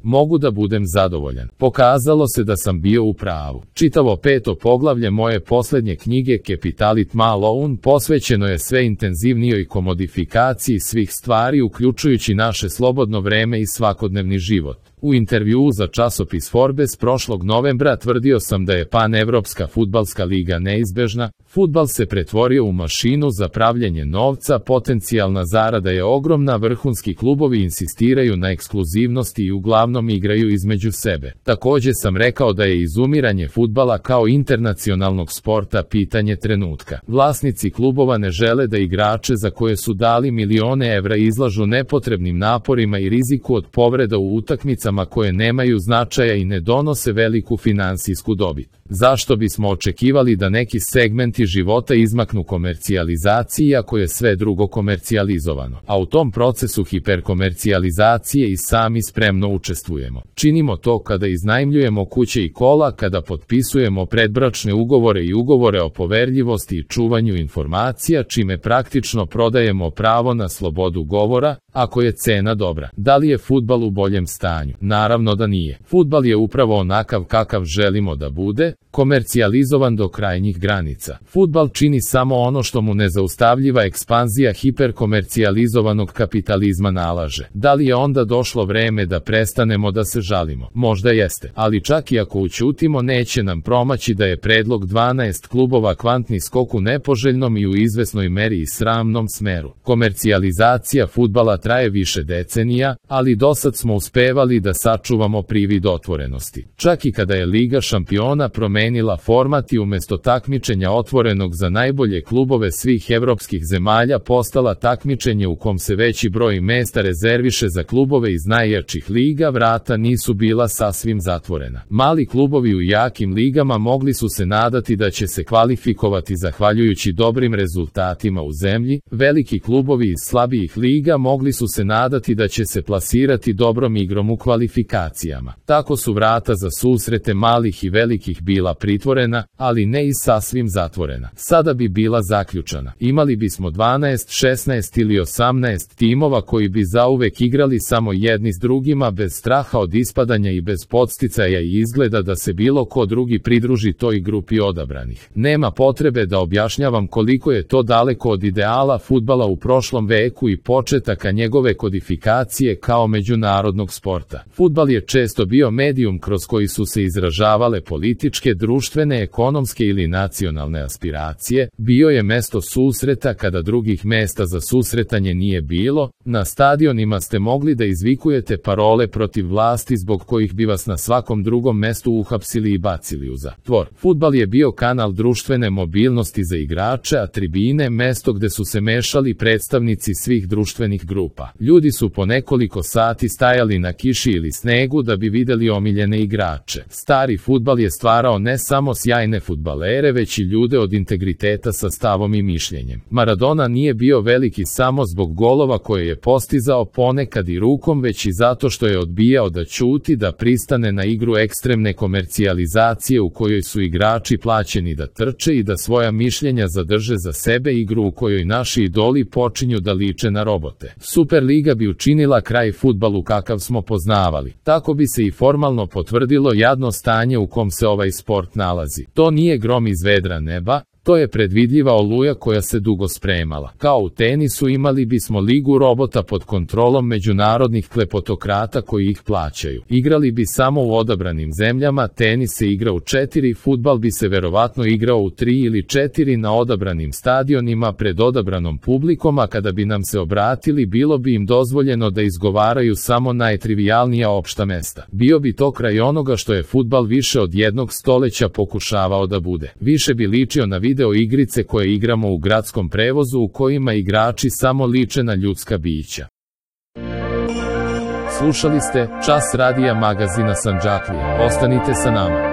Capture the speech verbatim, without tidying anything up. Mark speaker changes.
Speaker 1: Mogu da budem zadovoljan. Pokazalo se da sam bio u pravu. Čitavo peto poglavlje moje posljednje knjige Capitalit Malone posvećeno je sve intenzivnijoj komodifikaciji svih stvari uključujući naše slobodno vreme i svakodnevni život. U intervjuu za časopis Forbes prošlog novembra tvrdio sam da je panevropska fudbalska liga neizbežna, fudbal se pretvorio u mašinu za pravljenje novca, potencijalna zarada je ogromna, vrhunski klubovi insistiraju na ekskluzivnosti i uglavnom igraju između sebe. Također sam rekao da je izumiranje fudbala kao internacionalnog sporta pitanje trenutka. Vlasnici klubova ne žele da igrače za koje su dali milione evra izlažu nepotrebnim naporima i riziku od povreda u utakmicama koje nemaju značaja i ne donose veliku finansijsku dobit. Zašto bismo očekivali da neki segmenti života izmaknu komercijalizaciji ako je sve drugo komercijalizovano? A u tom procesu hiperkomercijalizacije i sami spremno učestvujemo. Činimo to kada iznajmljujemo kuće i kola, kada potpisujemo predbračne ugovore i ugovore o poverljivosti i čuvanju informacija, čime praktično prodajemo pravo na slobodu govora, ako je cena dobra. Da li je fudbal u boljem stanju? Naravno da nije. Fudbal je upravo onakav kakav želimo da bude, komercijalizovan do krajnjih granica. Fudbal čini samo ono što mu nezaustavljiva ekspanzija hiperkomercijalizovanog kapitalizma nalaže. Da li je onda došlo vreme da prestanemo da se žalimo? Možda jeste, ali čak i ako ućutimo neće nam promaći da je predlog dvanaest klubova kvantni skok u nepoželjnom i u izvesnoj meri i sramnom smeru. Komercijalizacija fudbala traje više decenija, ali dosad smo uspevali da sačuvamo privid otvorenosti. Čak i kada je Liga šampiona promenila format i umjesto takmičenja otvorenog za najbolje klubove svih evropskih zemalja postala takmičenje u kom se veći broj mesta rezerviše za klubove iz najjačih liga, vrata nisu bila sasvim zatvorena. Mali klubovi u jakim ligama mogli su se nadati da će se kvalifikovati zahvaljujući dobrim rezultatima u zemlji, veliki klubovi iz slabijih liga mogli su se nadati da će se plasirati dobrom igrom u kvalifikacijama. Tako su vrata za susrete malih i velikih bila pritvorena, ali ne i sasvim zatvorena. Sada bi bila zaključana. Imali bismo dvanaest, šesnaest ili osamnaest timova koji bi zauvek igrali samo jedni s drugima bez straha od ispadanja i bez podsticaja i izgleda da se bilo ko drugi pridruži toj grupi odabranih. Nema potrebe da objašnjavam koliko je to daleko od ideala fudbala u prošlom veku i početaka njegove kodifikacije kao međunarodnog sporta. Fudbal je često bio medijum kroz koji su se izražavale političke, društvene, ekonomske ili nacionalne aspiracije, bio je mesto susreta kada drugih mesta za susretanje nije bilo, na stadionima ste mogli da izvikujete parole protiv vlasti zbog kojih bi vas na svakom drugom mestu uhapsili i bacili u zatvor. Fudbal je bio kanal društvene mobilnosti za igrače, a tribine mesto gde su se mešali predstavnici svih društvenih grupa. Ljudi su po nekoliko sati stajali na kiši ili snegu da bi videli omiljene igrače. Stari fudbal je stvarao ne samo sjajne fudbalere, već i ljude od integriteta sa stavom i mišljenjem. Maradona nije bio veliki samo zbog golova koje je postizao ponekad i rukom, već i zato što je odbijao da ćuti, da pristane na igru ekstremne komercijalizacije u kojoj su igrači plaćeni da trče i da svoja mišljenja zadrže za sebe, igru u kojoj naši idoli počinju da liče na robote. Superliga bi učinila kraj fudbalu kakav smo poznavali. Tako bi se i formalno potvrdilo jadno stanje u kom se ovaj sport nalazi. To nije grom iz vedra neba, to je predvidljiva oluja koja se dugo spremala. Kao u tenisu imali bismo ligu robota pod kontrolom međunarodnih kleptokrata koji ih plaćaju. Igrali bi samo u odabranim zemljama, tenis se igra u četiri, fudbal bi se verovatno igrao u tri ili četiri na odabranim stadionima pred odabranom publikom, a kada bi nam se obratili bilo bi im dozvoljeno da izgovaraju samo najtrivijalnija opšta mesta. Bio bi to kraj onoga što je fudbal više od jednog stoleća pokušavao da bude. Više bi ličio na video igrice koje igramo u gradskom prevozu u kojima igrači samo liče na ljudska bića. Slušali ste Čas radija magazina Sandžaklije. Ostanite sa nama.